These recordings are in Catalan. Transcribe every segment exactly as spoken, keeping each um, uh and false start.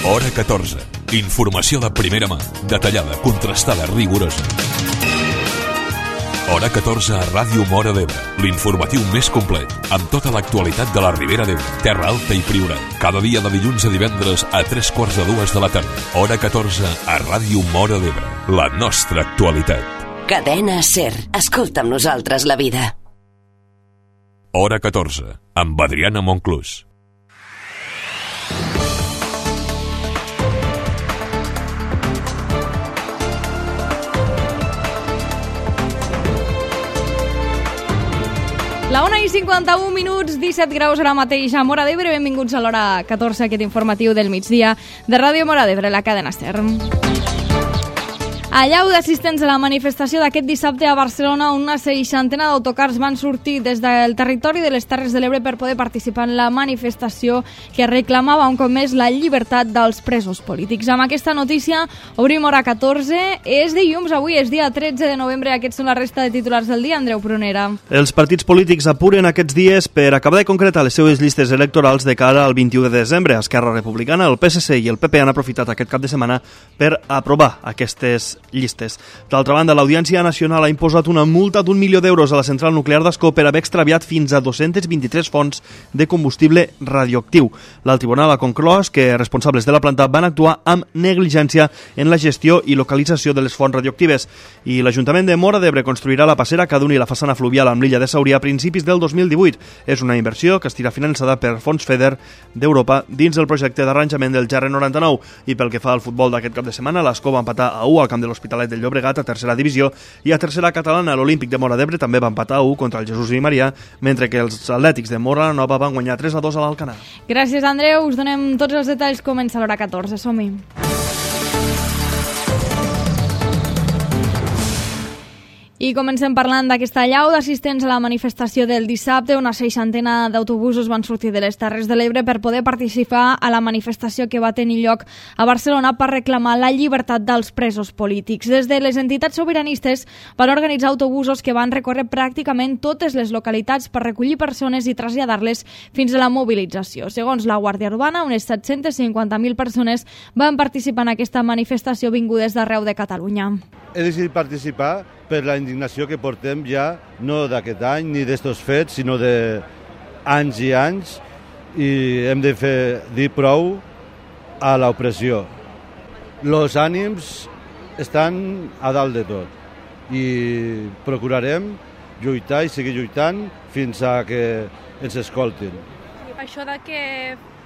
Hora catorze. Informació de primera mà, detallada, contrastada, rigorosa. Hora catorze a Ràdio Móra d'Ebre, l'informatiu més complet, amb tota l'actualitat de la Ribera d'Ebre, Terra Alta i Priorat. Cada dia de dilluns a divendres a tres quarts de dues de la tarda. Hora catorze a Ràdio Móra d'Ebre, la nostra actualitat. Cadena SER, escolta amb nosaltres la vida. Hora catorze, amb Adriana Monclús. La una i cinquanta-un minuts, disset graus ara mateix a Móra d'Ebre. Benvinguts a l'hora catorze, aquest informatiu del migdia de Ràdio Móra d'Ebre, la cadena SER. Allau d'assistents a la manifestació d'aquest dissabte a Barcelona, una seixantena d'autocars van sortir des del territori de les Terres de l'Ebre per poder participar en la manifestació que reclamava un cop més la llibertat dels presos polítics. Amb aquesta notícia obrim hora catorze. És dilluns, avui és dia tretze de novembre. Aquests són la resta de titulars del dia. Andreu Prunera. Els partits polítics apuren aquests dies per acabar de concretar les seues llistes electorals de cara al vint-i-u de desembre. Esquerra Republicana, el P S C i el P P han aprofitat aquest cap de setmana per aprovar aquestes llistes. D'altra banda, l'Audiència Nacional ha imposat una multa d'un milió d'euros a la central nuclear d'Ascó per haver extraviat fins a dos-cents vint-i-tres fonts de combustible radioactiu. L'alt tribunal ha conclòs que responsables de la planta van actuar amb negligència en la gestió i localització de les fonts radioactives. I l'Ajuntament de Móra d'Ebre construirà la passera que doni la façana fluvial amb l'illa de Sauria a principis del dos mil divuit. És una inversió que estarà finançada per fons FEDER d'Europa dins del projecte d'arranjament del G R noranta-nou. I pel que fa al futbol d'aquest cap de setmana, l'Ascó va empatar a u al camp de l'Hospitalet del Llobregat a tercera divisió, i a tercera catalana l'Olímpic de Móra d'Ebre també va empatar a u contra el Jesús i Maria, mentre que els atlètics de Móra la Nova van guanyar tres a dos a l'Alcanar. Gràcies, Andreu. Us donem tots els detalls. Comença l'hora catorze. Som-hi. I comencem parlant d'aquesta allau d'assistents a la manifestació del dissabte. Una seixantena d'autobusos van sortir de les Terres de l'Ebre per poder participar a la manifestació que va tenir lloc a Barcelona per reclamar la llibertat dels presos polítics. Des de les entitats sobiranistes van organitzar autobusos que van recórrer pràcticament totes les localitats per recollir persones i traslladar-les fins a la mobilització. Segons la Guàrdia Urbana, unes set-cents cinquanta mil persones van participar en aquesta manifestació vingudes d'arreu de Catalunya. He decidit participar per la indignació que portem ja, no d'aquest any ni d'estos fets, sinó d'anys i anys, i hem de fer dir prou a l'opressió. Els ànims estan a dalt de tot i procurarem lluitar i seguir lluitant fins a que ens escoltin. Això de que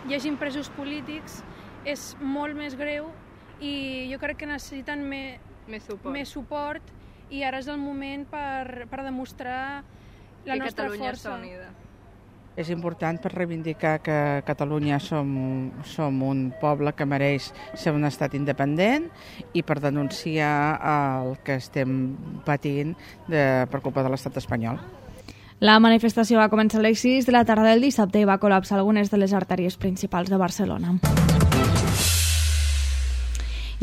hi hagi presos polítics és molt més greu i jo crec que necessiten més, més, suport. més suport i ara és el moment per, per demostrar la que nostra Catalunya força. està unida. És important per reivindicar que Catalunya som, som un poble que mereix ser un estat independent i per denunciar el que estem patint de, per culpa de l'estat espanyol. La manifestació va començar a les sis de la tarda del dissabte i va col·lapsar algunes de les artèries principals de Barcelona.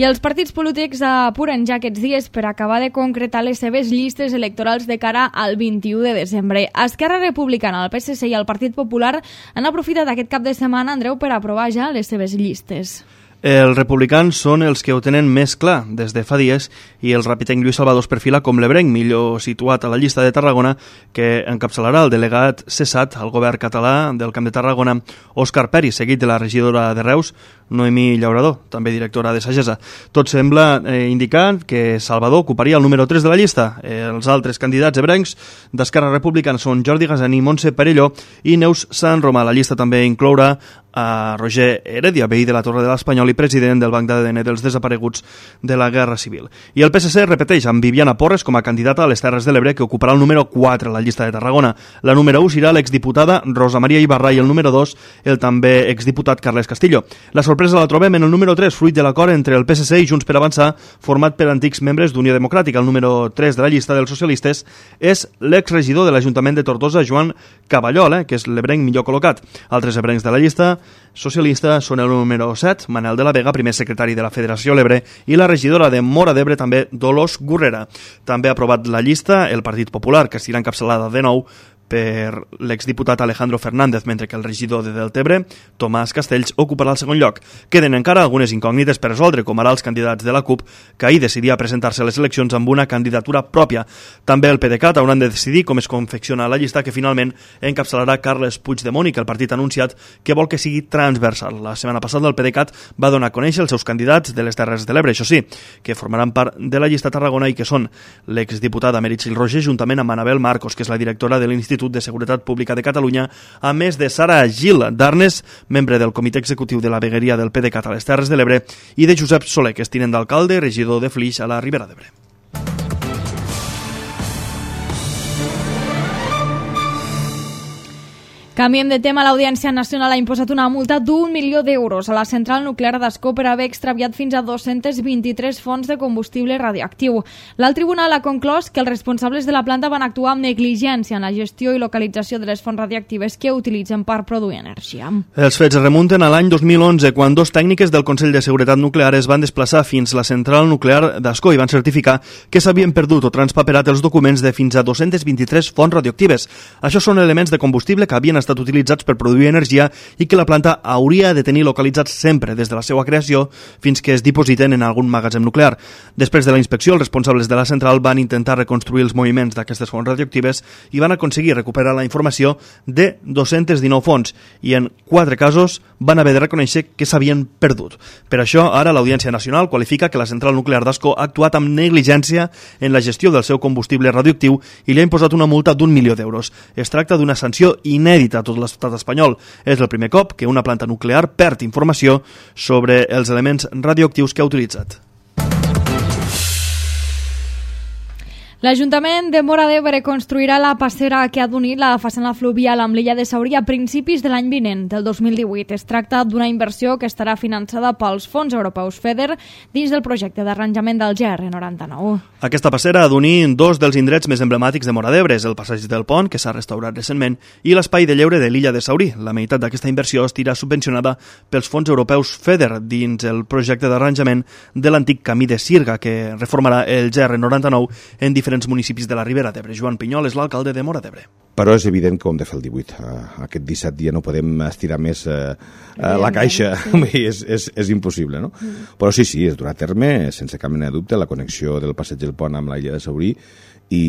I els partits polítics apuren ja aquests dies per acabar de concretar les seves llistes electorals de cara al vint-i-u de desembre. Esquerra Republicana, el P S C i el Partit Popular han aprofitat aquest cap de setmana, Andreu, per aprovar ja les seves llistes. Els republicans són els que ho tenen més clar des de fa dies i el rapitenc Lluís Salvador es perfila com l'ebrenc millor situat a la llista de Tarragona, que encapçalarà el delegat cessat al govern català del Camp de Tarragona, Òscar Peri, seguit de la regidora de Reus, Noemí Llaurador, també directora de Sagesa. Tot sembla eh, indicar que Salvador ocuparia el número tres de la llista. Eh, els altres candidats ebrencs d'Esquerra Republicana són Jordi Gassani, Montse Perelló i Neus Sant Romà. La llista també inclourà a Roger Heredia, veí de la Torre de l'Espanyol i president del Banc d'A D N dels desapareguts de la Guerra Civil. I el P S C repeteix amb Viviana Porres com a candidata a les Terres de l'Ebre, que ocuparà el número quatre a la llista de Tarragona. La número u serà l'exdiputada Rosa Maria Ibarra i el número dos el també exdiputat Carles Castillo. La sorpresa la trobem en el número tres, fruit de l'acord entre el P S C i Junts per Avançar, format per antics membres d'Unió Democràtica. El número tres de la llista dels socialistes és l'exregidor de l'Ajuntament de Tortosa, Joan Cavallol, eh, que és l'ebrenc millor col·locat. Altres ebrencs de la llista socialista són el número set, Manel de la Vega, primer secretari de la Federació L'Ebre, i la regidora de Móra d'Ebre, també Dolors Gurrera. També ha aprovat la llista el Partit Popular, que estarà encapçalada de nou per l'exdiputat Alejandro Fernández, mentre que el regidor de Deltebre, Tomàs Castells, ocuparà el segon lloc. Queden encara algunes incògnites per resoldre, com ara els candidats de la CUP, que ahir decidia presentar-se a les eleccions amb una candidatura pròpia. També el PDeCAT hauran de decidir com es confecciona la llista que finalment encapçalarà Carles Puigdemont i que el partit ha anunciat que vol que sigui transversal. La setmana passada el PDeCAT va donar a conèixer els seus candidats de les Terres de l'Ebre, això sí, que formaran part de la llista Tarragona i que són l'exdiputada Meritxell Roger juntament amb Anabel Marcos, que és la directora de l'Institut de Seguretat Pública de Catalunya, a més de Sara Gil d'Arnes, membre del comitè executiu de la vegueria del PDeCAT a les Terres de l'Ebre, i de Josep Soler, que és tinent d'alcalde, regidor de Flix a la Ribera d'Ebre. Canviem de tema. L'Audiència Nacional ha imposat una multa d'un milió d'euros a la central nuclear d'Ascó per haver extraviat fins a dos-cents vint-i-tres fonts de combustible radioactiu. L'alt tribunal ha conclòs que els responsables de la planta van actuar amb negligència en la gestió i localització de les fonts radioactives que utilitzen per produir energia. Els fets es remunten a l'any dos mil onze, quan dos tècniques del Consell de Seguretat Nuclear es van desplaçar fins a la central nuclear d'Ascó i van certificar que s'havien perdut o transpaperat els documents de fins a dos-cents vint-i-tres fonts radioactives. Això són elements de combustible que havien estat utilitzats per produir energia i que la planta hauria de tenir localitzats sempre des de la seva creació fins que es dipositen en algun magatzem nuclear. Després de la inspecció, els responsables de la central van intentar reconstruir els moviments d'aquestes fonts radioactives i van aconseguir recuperar la informació de dos-cents dinou fonts i en quatre casos van haver de reconèixer que s'havien perdut. Per això, ara l'Audiència Nacional qualifica que la central nuclear d'Ascó ha actuat amb negligència en la gestió del seu combustible radioactiu i li ha imposat una multa d'un milió d'euros. Es tracta d'una sanció inèdita a tot l'estat espanyol. És el primer cop que una planta nuclear perd informació sobre els elements radioactius que ha utilitzat. L'Ajuntament de Móra d'Ebre construirà la passera que ha d'unir la façana fluvial amb l'illa de Saurí a principis de l'any vinent, del dos mil divuit. Es tracta d'una inversió que estarà finançada pels fons europeus FEDER dins del projecte d'arranjament del G R noranta-nou. Aquesta passera ha d'unir dos dels indrets més emblemàtics de Móra d'Ebre, el passeig del Pont, que s'ha restaurat recentment, i l'espai de lleure de l'illa de Saurí. La meitat d'aquesta inversió estirà subvencionada pels fons europeus FEDER dins el projecte d'arranjament de l'antic camí de Sirga, que reformarà el G R noranta-nou en diferents municipis de la Ribera d'Ebre. Joan Pinyol és l'alcalde de Móra d'Ebre. Però és evident que ho hem de fer el divuit. Aquest disset dia no podem estirar més eh, la caixa, sí. és, és, és impossible, no? Mm. Però sí, sí, es durà a terme, sense cap mena de dubte, la connexió del passeig del Pont amb la illa de Saurí i,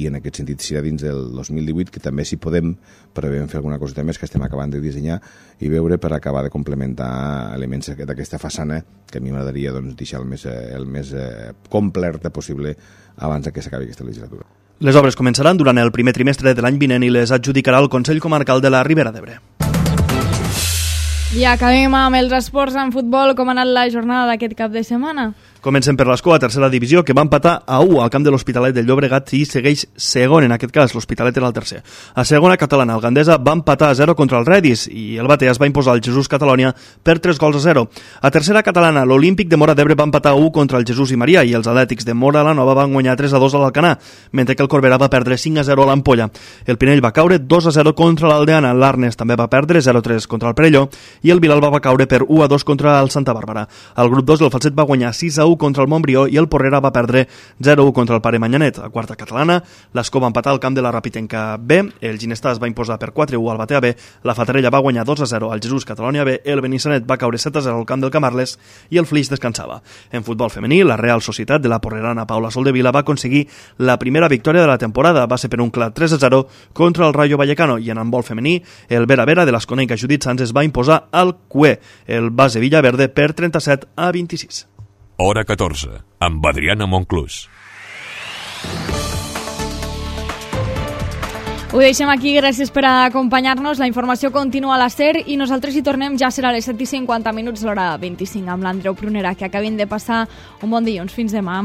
i en aquest sentit serà dins del dos mil divuit, que també si podem prevem fer alguna coseta més que estem acabant de dissenyar i veure per acabar de complementar elements d'aquesta façana que a mi m'agradaria doncs, deixar el més, el més eh, completa possible abans que s'acabi aquesta legislatura. Les obres començaran durant el primer trimestre de l'any vinent i les adjudicarà el Consell Comarcal de la Ribera d'Ebre. I acabem amb els esports en futbol. Com ha anat la jornada d'aquest cap de setmana? Comencem per l'Escó, a tercera divisió, que va empatar a u al camp de l'Hospitalet del Llobregat i segueix segon, en aquest cas, l'Hospitalet era el tercer. A segona catalana, el Gandesa va empatar a zero contra el Redis i el Batea es va imposar al Jesús Catalonia per tres gols a zero. A tercera catalana, l'Olímpic de Móra d'Ebre va empatar a u contra el Jesús i Maria i els Atlètics de Móra la Nova van guanyar tres a dos a l'Alcanar, mentre que el Corbera va perdre cinc a zero a l'Ampolla. El Pinell va caure dos a zero contra l'Aldeana, l'Arnes també va perdre zero a tres contra el Perelló i el Vilalba va caure per u a dos contra el Santa Bàrbara. Al grup dos, el Falset va guanyar sis a u contra el Montbrió i el Porrera va perdre zero a u contra el Pare Manyanet. A quarta catalana, l'Escó va empatar al camp de la Rapitenca B, el Ginestar es va imposar per quatre a u al Batea B, la Fatarella va guanyar dos a zero al Jesús Catalonia B, el Benissanet va caure set a zero al camp del Camarles i el Flix descansava. En futbol femení, la Real Societat de la porrerana Paula Soldevila va aconseguir la primera victòria de la temporada, va ser per un clar tres a zero contra el Rayo Vallecano, i en handbol femení, el Vera Vera de l'Esconenca Judit Sans es va imposar al Cué, el base Villaverde, per trenta-set a vint-i-sis. Hora catorze, amb Adriana Monclús. Ho deixem aquí, gràcies per acompanyar-nos. La informació continua a la SER i nosaltres hi tornem, ja serà a les set i cinquanta minuts, l'hora vint-i-cinc, amb l'Andreu Prunera, que acabin de passar un bon dilluns. Fins demà.